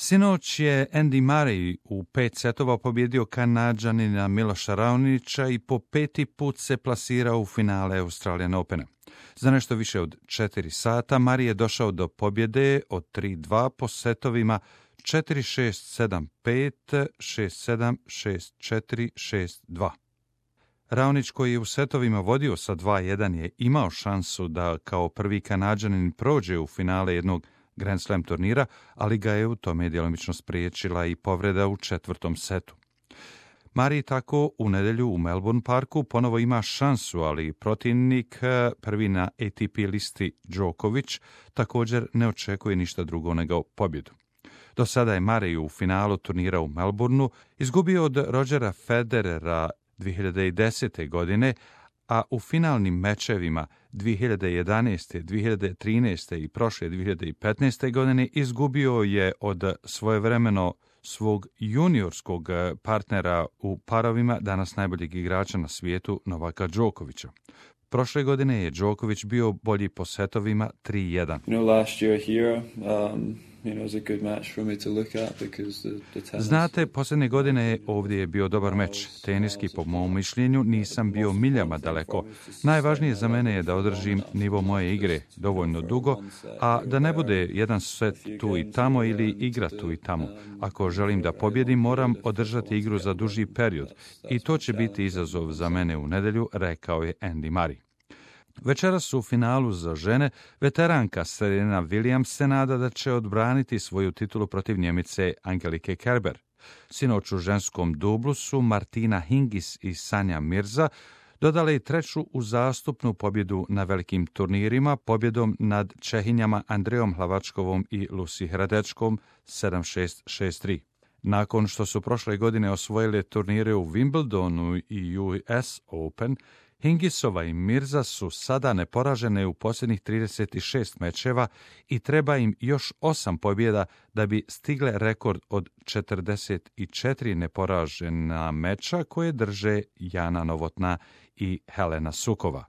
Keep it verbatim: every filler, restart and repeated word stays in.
Sinoć je Andy Murray u pet setova pobjedio Kanađanina Miloša Raonića i po peti put se plasirao u finale Australian Opena. Za nešto više od četiri sata Murray je došao do pobjede od tri dva po setovima četiri šest sedam pet, šest sedam, šest četiri, šest dva. Raonić, koji je u setovima vodio sa dva jedan, je imao šansu da kao prvi Kanađanin prođe u finale jednog Grand Slam turnira, ali ga je u tome djelomično spriječila i povreda u četvrtom setu. Murray tako u nedjelju u Melbourne Parku ponovo ima šansu, ali protivnik, prvi na A T P listi Djokovic, također ne očekuje ništa drugo nego pobjedu. Do sada je Murray u finalu turnira u Melbourneu izgubio od Rogera Federera dvije hiljade desete. godine, a u finalnim mečevima dvije hiljade jedanaeste. dvije hiljade trinaeste. i prošle dvije hiljade petnaeste. godine izgubio je od svojevremeno svog juniorskog partnera u parovima, danas najboljeg igrača na svijetu, Novaka Djokovića. Prošle godine je Djokovic bio bolji po setovima tri jedan. You know, last year here, um, you know, it was a good match for me to look at because the, the tennis... Znate, posljednje godine ovdje je bio dobar meč. Teniski, po mom mišljenju, nisam bio miljama daleko. Najvažnije za mene je da održim nivo moje igre dovoljno dugo, a da ne bude jedan set tu i tamo ili igra tu i tamo. Ako želim da pobjedim, moram održati igru za duži period i to će biti izazov za mene u nedjelju, rekao je Andy Murray. Večeras u finalu za žene veteranka Serena Williams se nada da će odbraniti svoju titulu protiv Njemice Angelike Kerber. Sinoć u ženskom dublu su Martina Hingis i Sanja Mirza dodale i treću uzastopnu pobjedu na velikim turnirima, pobjedom nad Čehinjama Andrejom Hlavačkovom i Lucy Hradečkom sedam šest, šest tri. Nakon što su prošle godine osvojile turnire u Wimbledonu i U S Open, Hingisova i Mirza su sada neporažene u posljednjih trideset šest mečeva i treba im još osam pobjeda da bi stigle rekord od četrdeset četiri neporažena meča koje drže Jana Novotná i Helena Sukova.